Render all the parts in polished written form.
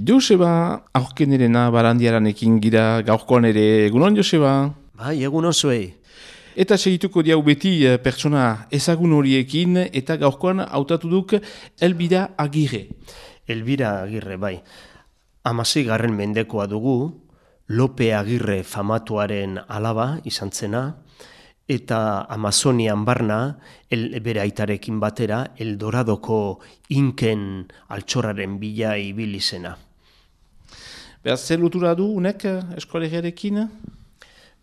Joseba, aurkenerena barandiaranekin gira gaurkoan ere, egunon Joseba? Bai, egunon zuei. Eta segituko diau beti pertsona ezagun horiekin eta gaurkoan hautatu duk Elbira Agirre. Elbira Agirre, bai. 16. mendekoa dugu, Lope Agirre famatuaren alaba izan zena, eta Amazonian barna, bere aitarekin batera, Eldoradoko inken altxorraren bila ibili zena. Beraz, zer lotura du unek eskolegiarekin?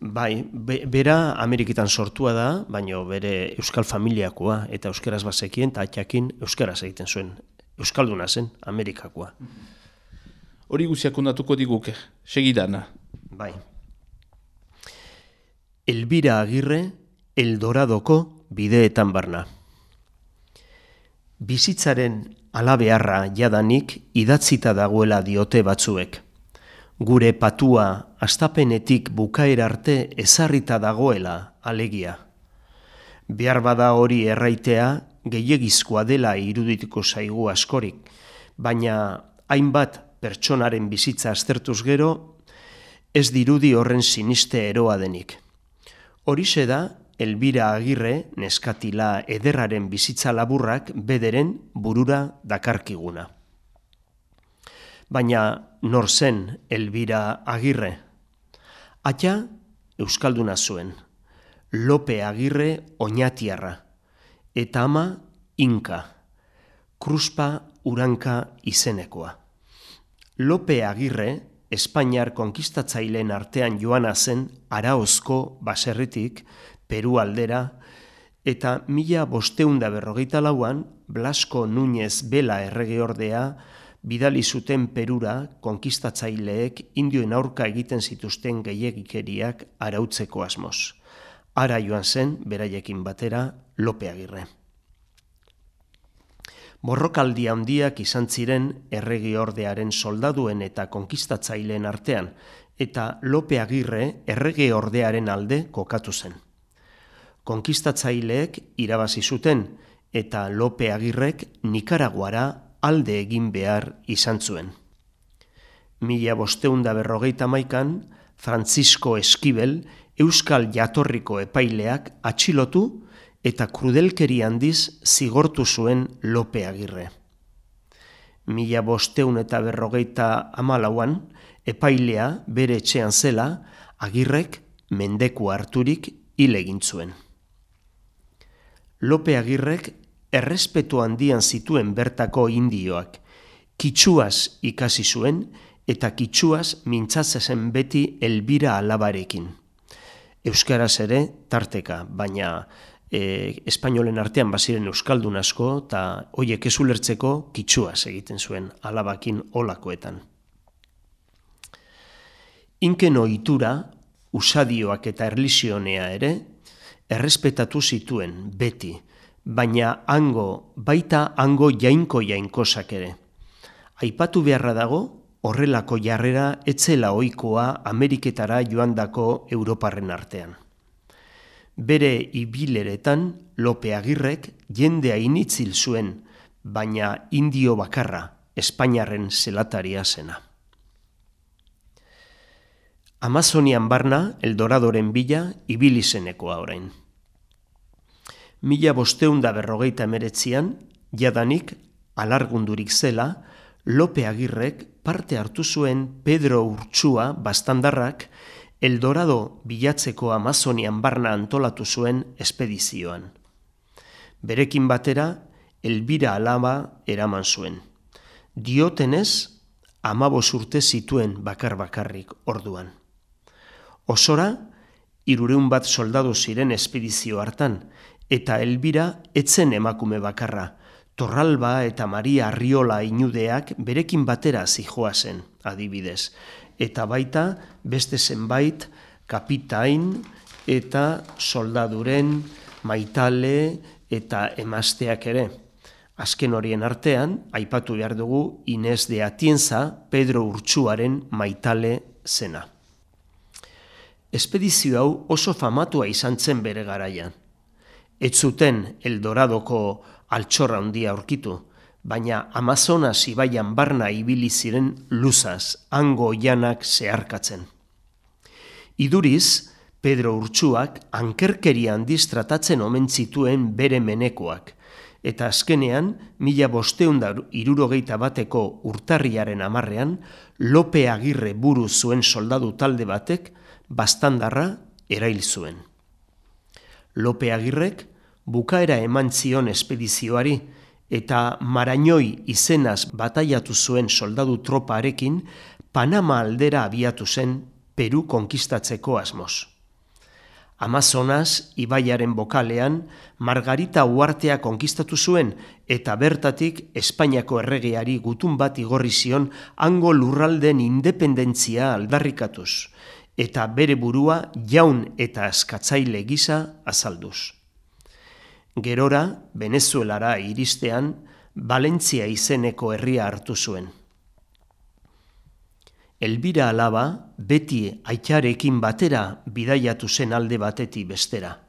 Bai, bera Ameriketan sortua da, baina bere euskal familiakoa eta euskaraz bazekien, eta atxakin euskaraz egiten zuen. Euskalduna zen, Amerikakoa. Hori guziak ondatuko diguk, segidan. Bai. Elbira Agirre, Eldoradoko bideetan barna. Bizitzaren alabeharra jadanik idatzita dagoela diote batzuek. Gure patua astapenetik bukaera arte ezarrita dagoela alegia. Behar bada hori erraitea gehiegizkoa dela irudituko zaigu askorik, baina hainbat pertsonaren bizitza aztertuz gero, ez dirudi horren siniste eroa denik. Horixe da, Elbira Agirre neskatila ederraren bizitza laburrak bederen burura dakarkiguna. Baina nor zen Elbira Agirre? Atxa euskalduna zuen, Lope Agirre oñatiarra, eta ama Inka, Kruspa Uranka izenekoa. Lope Agirre, Espainiar konkistatzaileen artean joana zen Araozko baserritik, Peru aldera, eta 1554an Blasco Núñez Bela erregeordea bidali zuten Perura konkistatzaileek indioen aurka egiten zituzten gehiegikeriak arautzeko asmoz. Ara joan zen, beraiekin batera, Lope Agirre. Borrokaldi handiak izan ziren erregeordearen soldaduen eta konkistatzaileen artean, eta Lope Agirre erregeordearen alde kokatu zen. Konkistatzaileek irabazi zuten, eta Lope Agirrek Nikaraguara alde egin behar izan zuen. 1551an, Francisco Esquivel, euskal jatorriko epaileak atxilotu eta krudelkeri handiz zigortu zuen Lope Agirre. 1554an, epailea bere etxean zela, Agirrek mendeku harturik hil egin zuen. Lope Agirrek errespetu handian zituen bertako indioak, kitxuaz ikasi zuen eta kitxuaz mintzatzen beti Elbira alabarekin. Euskaraz ere tarteka, baina espainolen artean baziren euskaldun asko eta hoiek ez ulertzeko kitxuaz egiten zuen alabakin olakoetan. Inken ohitura, usadioak eta erlijionea ere errespetatu zituen beti, baina baita hango jainkosak ere. Aipatu beharra dago, horrelako jarrera etzela ohikoa Ameriketara joandako Europarren artean. Bere ibileretan Lope Agirrek jendea initzil zuen, baina indio bakarra, Espainiarren zelataria zena. Amazonian barna, Eldoradoren bila, ibili zenekoa orain. 1549an, jadanik, alargundurik zela, Lope Agirrek parte hartu zuen Pedro Urtsua bastandarrak Eldorado bilatzeko Amazonian barna antolatu zuen espedizioan. Berekin batera, Elbira alaba eraman zuen. Diotenez, 15 urte zituen bakar-bakarrik orduan. Osora, 300 bat soldadu ziren espedizio hartan, eta Elbira etzen emakume bakarra, Torralba eta Maria Arriola inudeak berekin batera zijoazen, adibidez. Eta baita beste zenbait kapitain eta soldaduren maitale eta emazteak ere. Azken horien artean, aipatu behar dugu Inez de Atienza, Pedro Urtsuaren maitale zena. Espedizio hau oso famatua izan zen bere garaian. Ez zuten Eldoradoko altxorra handia aurkitu, baina Amazonas ibaian barna ibili ziren luzaz, hango oianak zeharkatzen. Iduriz, Pedro Urtsuak ankerkeria handiz tratatzen omen zituen bere menekoak, eta azkenean, 1561 urtarriaren 10ean, Lope Agirre buru zuen soldadu talde batek baztandarra erail zuen. Lope Agirrek bukaera eman zion espedizioari eta Marañoi izenaz bataiatu zuen soldadu troparekin Panama aldera abiatu zen Peru konkistatzeko asmoz. Amazonas ibaiaren bokalean Margarita uhartea konkistatu zuen eta bertatik Espainiako erregeari gutun bat igorri zion hango lurralden independentzia aldarrikatuz eta bere burua jaun eta askatzaile gisa azalduz. Gerora, Venezuelara iristean, Valentzia izeneko herria hartu zuen. Elbira alaba beti aitarekin batera bidaiatu zen alde batetik bestera.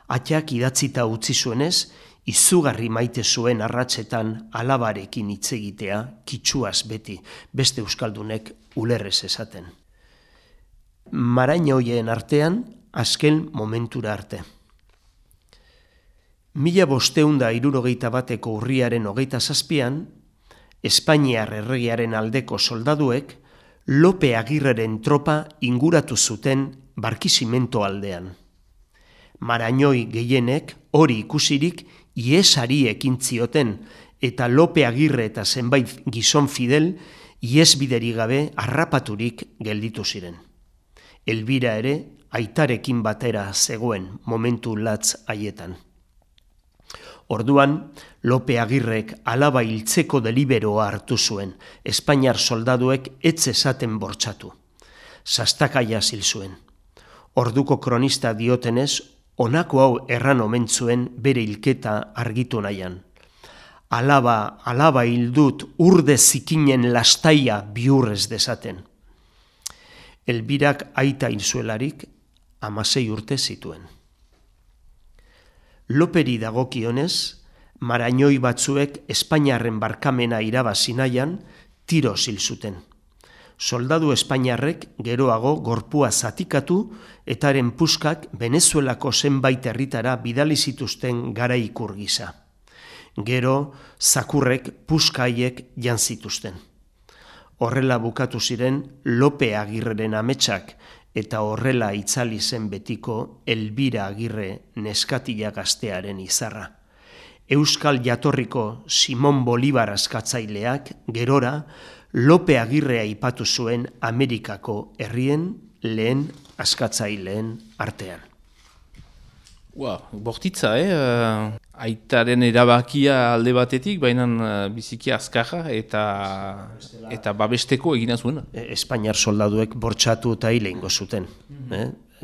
Aitak idatzita utzi zuenez, izugarri maite zuen arratsetan alabarekin hitz egitea kitxuaz beti, beste euskaldunek ulerrez esaten. Marañoien artean, azken momentura arte. 1561 urriaren 27an, Espainiar erregearen aldeko soldaduek Lope Agirreren tropa inguratu zuten Barkisimento aldean. Marañoi gehienek hori ikusirik iesari ekin zioten eta Lope Agirre eta zenbait gizon fidel iesbideri gabe harrapaturik gelditu ziren. Elbira ere aitarekin batera zegoen momentu latz haietan. Orduan, Lope Agirrek alaba hiltzeko deliberoa hartu zuen, Espainiar soldaduek ez esaten bortxatu. Sastakaia hil zuen. Orduko kronista diotenez, honako hau erran omen zuen bere hilketa argitu nahian. Alaba hildut urde zikinen lastaia bihurrez desaten. Elbirak aita hil zuelarik 16 urte zituen. Loperi dagokionez, Marañoi batzuek Espainiarren barkamena irabazi nahian tiroz hil zuten. Soldadu Espainiarrek geroago gorpua zatikatu eta haren puskak Venezuelako zenbait herritara bidali zituzten garaikur gisa. Gero, zakurrek puska haiek jan zituzten. Horrela bukatu ziren Lope Agirreren ametsak eta horrela itzali zen betiko Elbira Agirre neskatila gaztearen izarra. Euskal jatorriko Simon Bolivar askatzaileak gerora Lope Agirre aipatu zuen Amerikako herrien lehen askatzaileen artean. Bortitza, aitaren erabakia alde batetik, baina biziki azkarra eta babesteko egina zuen. Espainiar soldaduek bortxatu eta hile ingo zuten.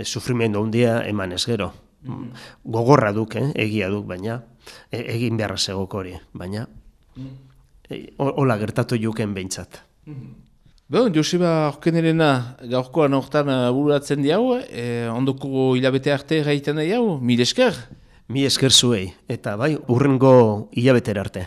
Sufrimendu handia eman ez gero. Gogorra duk, egia duk, baina egin beharra zegoko hori, baina hola gertatu juken behintzat. Joseba Orkenerena gaurkoan hortan bururatzen diau, ondoko hilabete arte gaiten diau, mil esker? Mi esker zuei, eta bai, urrengo hilabetera arte.